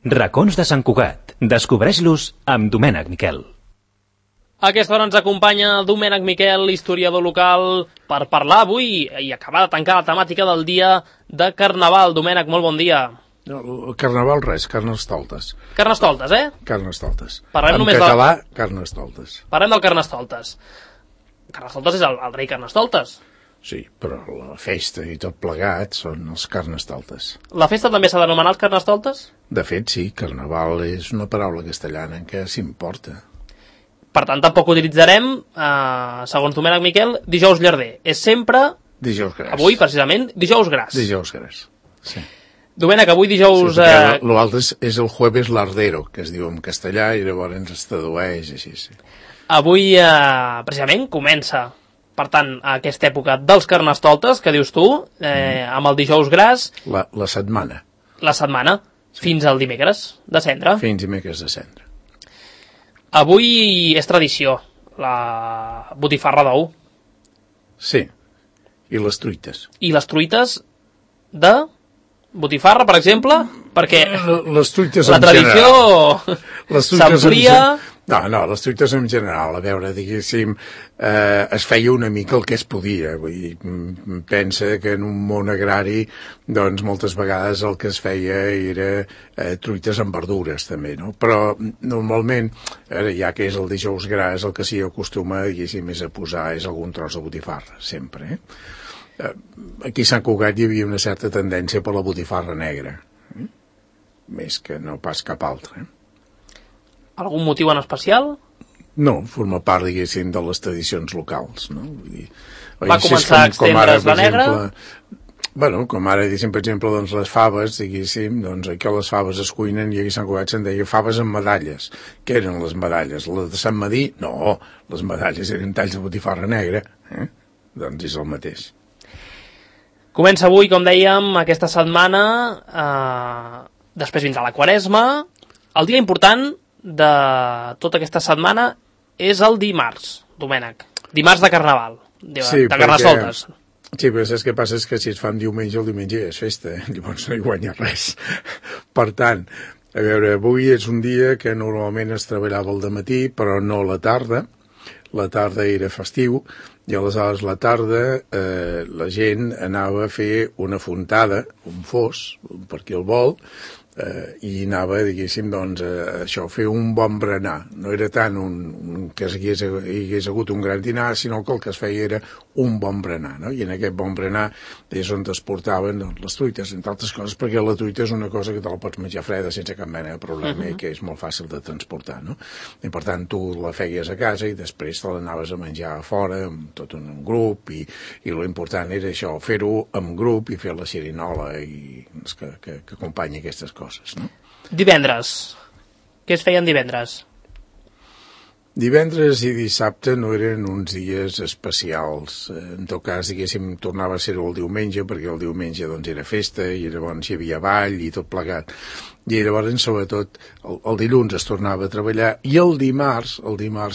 Racons de Sant Cugat. Descobreix-los amb Domènec Miquel. A aquesta hora ens acompanya Domènec Miquel, historiador local, per parlar avui i acabar de tancar la temàtica del dia de Carnaval. Domènec, molt bon dia. No, Carnaval res, Carnestoltes. Carnestoltes, eh? Carnestoltes. Parlem en només català, Carnestoltes. Parlem del Carnestoltes. Carnestoltes és el rei Carnestoltes. Sí, però la festa i tot plegat són els Carnestoltes. La festa també s'ha d'anomenar els Carnestoltes? De fet, sí, Carnaval és una paraula castellana en què s'importa. Per tant, tampoc utilitzarem, segons Domènec Miquel, dijous llarder. És sempre... Dijous gras. Avui, precisament, dijous gras. Dijous gras, sí. Domènec, avui dijous... Sí, l'altre és el jueves lardero, que es diu en castellà, i llavors es tradueix així, sí. Avui, precisament, comença, per tant, aquesta època dels Carnestoltes, que dius tu, amb el dijous gras... La setmana. La setmana, sí. Fins al dimecres de Cendra. Fins dimecres de Cendra. Avui és tradició, la botifarra d'ou. Sí, i les truites. I les truites de botifarra, per exemple, perquè les truites la tradició s'amplia... No, les truites en general, a veure, diguéssim, es feia una mica el que es podia. Vull dir, pensa que en un món agrari, doncs, moltes vegades el que es feia era truites amb verdures, també, no? Però, normalment, ja que és el dijous gras, el que s'hi acostuma, diguéssim, és a posar algun tros de botifarra, sempre, Aquí a Sant Cugat hi havia una certa tendència per la botifarra negra, més que no pas cap altra, Algun motiu en especial? No, forma part, diguéssim, de les tradicions locals, no? Vull dir, va començar a extendre's la negra? Bueno, com ara, diguéssim, per exemple, doncs les faves, diguéssim, doncs aquí les faves es cuinen i aquí a Sant Cugat se'n deia faves amb medalles. Què eren les medalles? Les de Sant Madí? No, les medalles eren talls de botifarra negra, Doncs és el mateix. Comença avui, com dèiem, aquesta setmana, després vindrà la Quaresma. El dia important de tota aquesta setmana és el dimarts, Domènec. Dimarts de Carnaval, de Carnestoltes. Sí, però saps què passa? És que si es fan diumenge, el diumenge ja és festa, llavors no hi guanya res. Per tant, a veure, avui és un dia que normalment es treballava al dematí, però no a la tarda. La tarda era festiu, i aleshores la tarda la gent anava a fer una fontada, un fos, per qui el vol, i anava, diguéssim, doncs, això, fer un bon berenar. No era tant que hi hagués hagut un gran dinar, sinó que el que es feia era un bon berenar, no? I en aquest bon berenar és on es portaven les truites, entre altres coses, perquè la truita és una cosa que te la pots menjar freda sense cap mena de problema i que és molt fàcil de transportar, no? I per tant tu la feies a casa i després te l'anaves a menjar a fora, amb tot un grup, i l'important era això, fer-ho amb grup i fer la xerinola que acompanya aquestes coses, no? Divendres. Què es feien divendres? Divendres i dissabte no eren uns dies especials. En tot cas, diguéssim, tornava a ser el diumenge, perquè el diumenge doncs era festa i llavors hi havia ball i tot plegat. I llavors, sobretot, el dilluns es tornava a treballar i el dimarts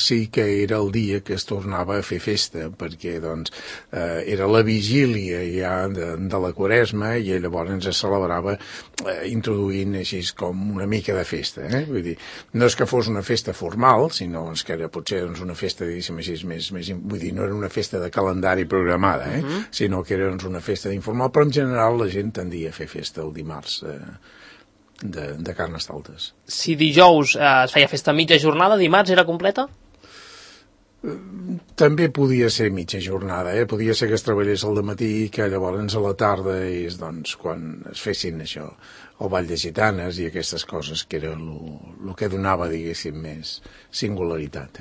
sí que era el dia que es tornava a fer festa, perquè doncs era la vigília ja de la Quaresma i llavors es celebrava introduint així com una mica de festa, Vull dir, no és que fos una festa formal, sinó que era potser doncs, una festa, diguéssim així, més, vull dir, no era una festa de calendari programada, sinó que era doncs, una festa informal, però en general la gent tendia a fer festa el dimarts de Carnestoltes. Si dijous es feia festa mitja jornada, dimarts era completa? També podia ser mitja jornada, Podia ser que es treballés al dematí i que llavors a la tarda és doncs, quan es fessin això, el ball de gitanes i aquestes coses que era el que donava, diguéssim, més singularitat,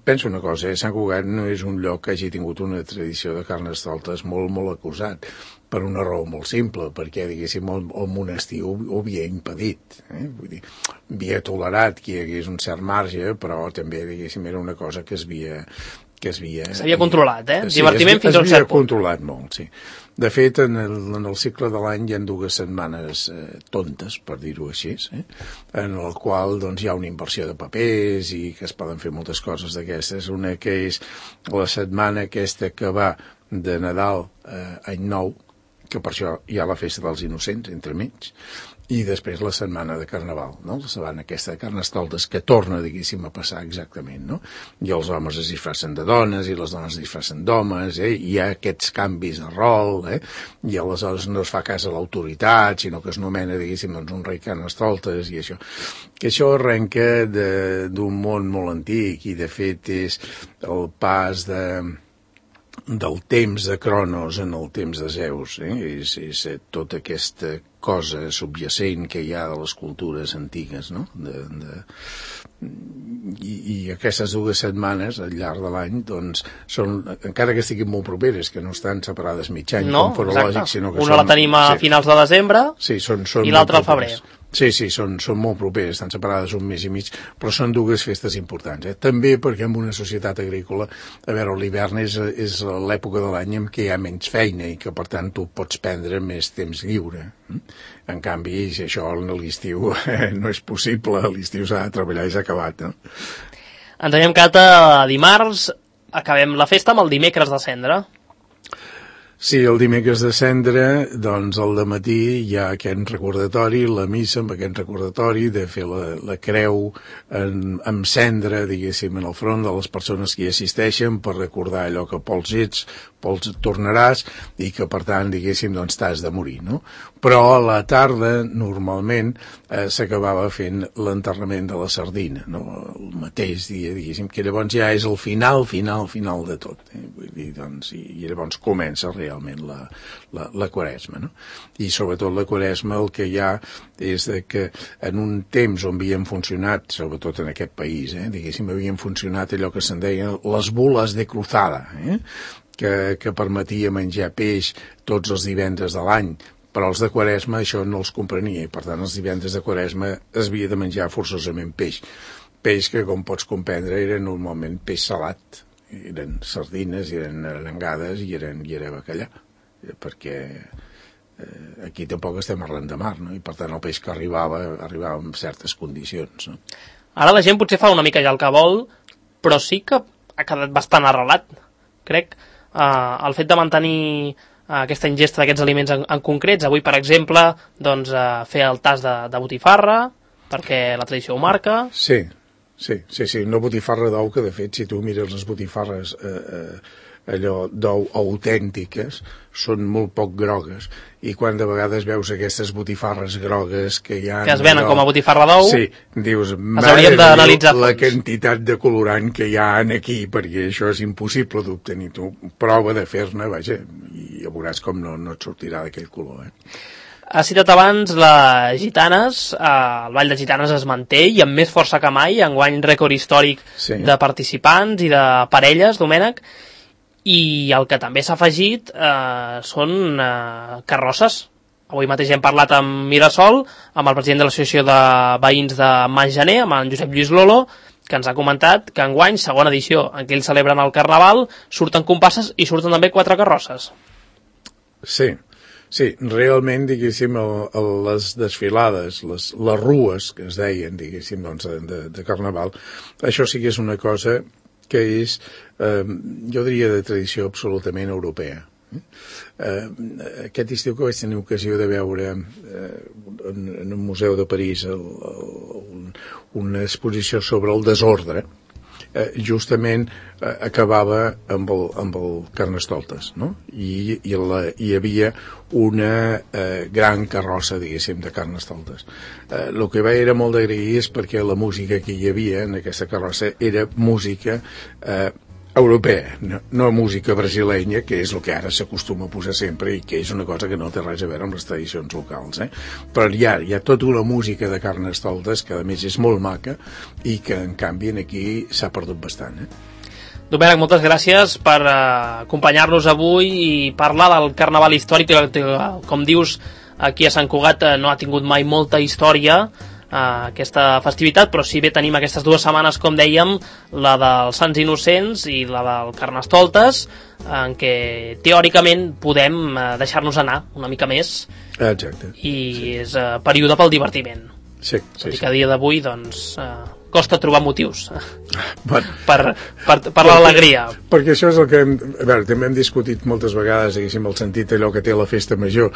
Penso una cosa, Sant Cugat no és un lloc que hagi tingut una tradició de Carnestoltes molt, molt acusat, per una raó molt simple, perquè, diguéssim, el monestir ho havia impedit, Vull dir, havia tolerat que hi hagués un cert marge, però també, diguéssim, era una cosa que s'havia controlat, Divertiment fins a un cert punt. S'havia controlat molt, sí. De fet, en el cicle de l'any hi ha 2 setmanes tontes, per dir-ho així, en el qual doncs, hi ha una inversió de papers i que es poden fer moltes coses d'aquestes. Una que és la setmana aquesta que va de Nadal a Any Nou, que per això hi ha la festa dels innocents, entremig, i després la setmana de Carnaval, no? La setmana aquesta de Carnestoltes, que torna, diguéssim, a passar exactament, no? I els homes es disfressen de dones, i les dones es disfressen d'homes, hi ha aquests canvis de rol, i aleshores no es fa cas a l'autoritat, sinó que es nomena, diguéssim, doncs, un rei Carnestoltes, i això. Que això arrenca d'un món molt antic, i de fet és el pas del temps de Cronos en el temps de Zeus, és tota aquesta cosa subjacent que hi ha de les cultures antigues, no? I aquestes 2 setmanes al llarg de l'any, doncs, són, encara que estiguin molt properes, que no estan separades mig any, com forològic, sinó que una la tenim a finals de desembre, i l'altra al febrer. Sí, són molt properes, estan separades un mes i mig, però són 2 festes importants. També perquè en una societat agrícola, a veure, l'hivern és l'època de l'any en què hi ha menys feina i que, per tant, tu pots prendre més temps lliure. En canvi, això a l'estiu no és possible, a l'estiu s'ha de treballar i s'ha acabat, no? Ens anem, Cata, dimarts, acabem la festa amb el dimecres de Cendra. Sí, el dimecres de Cendra, doncs al dematí hi ha aquest recordatori, la missa amb aquest recordatori de fer la creu amb cendra, diguéssim, en el front de les persones que hi assisteixen per recordar allò que pols ets, pols tornaràs i que, per tant, diguéssim, doncs t'has de morir, no? Però a la tarda, normalment, s'acabava fent l'enterrament de la sardina, no? El mateix dia, diguéssim, que llavors ja és el final de tot. Vull dir, doncs, i llavors comença realment la Quaresma, no? I sobretot la Quaresma el que hi ha és que en un temps on havien funcionat, sobretot en aquest país, diguéssim, havien funcionat allò que se'n deia les bules de cruzada, que permetia menjar peix tots els divendres de l'any, però els de Quaresma això no els comprenia, i per tant els divendres de Quaresma es havia de menjar forçosament peix. Peix que, com pots comprendre, era normalment peix salat, eren sardines, eren arengades i era bacallà, perquè aquí tampoc estem arran de mar, no? I per tant el peix que arribava en certes condicions, no? Ara la gent potser fa una mica ja el que vol, però sí que ha quedat bastant arrelat, crec. El fet de mantenir aquesta ingesta d'aquests aliments en concrets, avui per exemple doncs, fer el tas de botifarra perquè la tradició ho marca. Sí, una botifarra d'ou que de fet si tu mires les botifarres allò d'ou autèntiques són molt poc grogues i quan de vegades veus aquestes botifarres grogues que hi ha... Que es venen com a botifarra d'ou, sí, dius, hauríem d'analitzar la quantitat de colorant que hi ha aquí, perquè això és impossible d'obtenir. Tu prova de fer-ne, vaja, i ja veuràs com no et sortirà d'aquell color, Has citat abans les gitanes, el ball de gitanes es manté i amb més força que mai, enguany rècord històric de participants i de parelles, Domènec, i el que també s'ha afegit són carrosses. Avui mateix hem parlat amb Mirasol, amb el president de l'Associació de Veïns de Mas Gener, amb en Josep Lluís Lolo, que ens ha comentat que enguany, segona edició en què ells celebren el Carnaval, surten comparses i surten també 4 carrosses. Sí, realment, diguéssim, les desfilades, les rues que es deien, diguéssim, doncs, de Carnaval, això sí que és una cosa que és, jo diria, de tradició absolutament europea. Aquest estiu que vaig tenir ocasió de veure en un museu de París una exposició sobre el desordre, justament acabava amb el Carnestoltes, no? I hi havia una gran carrossa, diguéssim, de Carnestoltes. El que era molt d'agrair és perquè la música que hi havia en aquesta carrossa era música europea, no música brasilenya, que és el que ara s'acostuma a posar sempre i que és una cosa que no té res a veure amb les tradicions locals, però hi ha tota una música de Carnestoltes que a més és molt maca i que en canvi aquí s'ha perdut bastant. Domènec, moltes gràcies per acompanyar-nos avui i parlar del Carnaval històric, que com dius aquí a Sant Cugat no ha tingut mai molta història aquesta festivitat, però si bé tenim aquestes 2 setmanes, com dèiem, la dels Sants Innocents i la del Carnestoltes, en què teòricament podem deixar-nos anar una mica més. Exacte. I és període pel divertiment. Sí. Tot i que a dia d'avui doncs, costa trobar motius Bueno, per l'alegria. perquè això és el que a veure, també hem discutit moltes vegades, diguéssim, el sentit allò que té la festa major.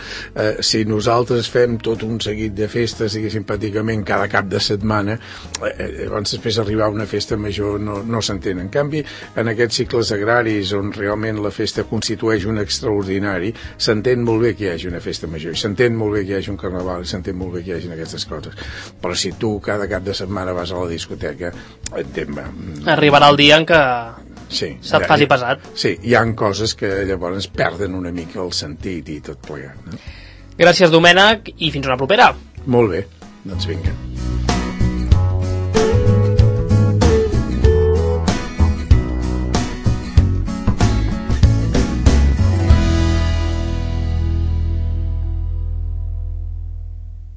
Si nosaltres fem tot un seguit de festes, diguéssim, pràcticament cada cap de setmana, llavors després arribar a una festa major no s'entén. En canvi, en aquests cicles agraris on realment la festa constitueix un extraordinari, s'entén molt bé que hi hagi una festa major, i s'entén molt bé que hi hagi un carnaval, i s'entén molt bé que hi hagi aquestes coses. Però si tu cada cap de setmana vas a la discoteca, arribarà el dia en què sí, se't faci pesat. Sí, hi ha coses que llavors perden una mica el sentit i tot plegat, no? Gràcies, Domènec, i fins una propera. Molt bé, doncs vinga.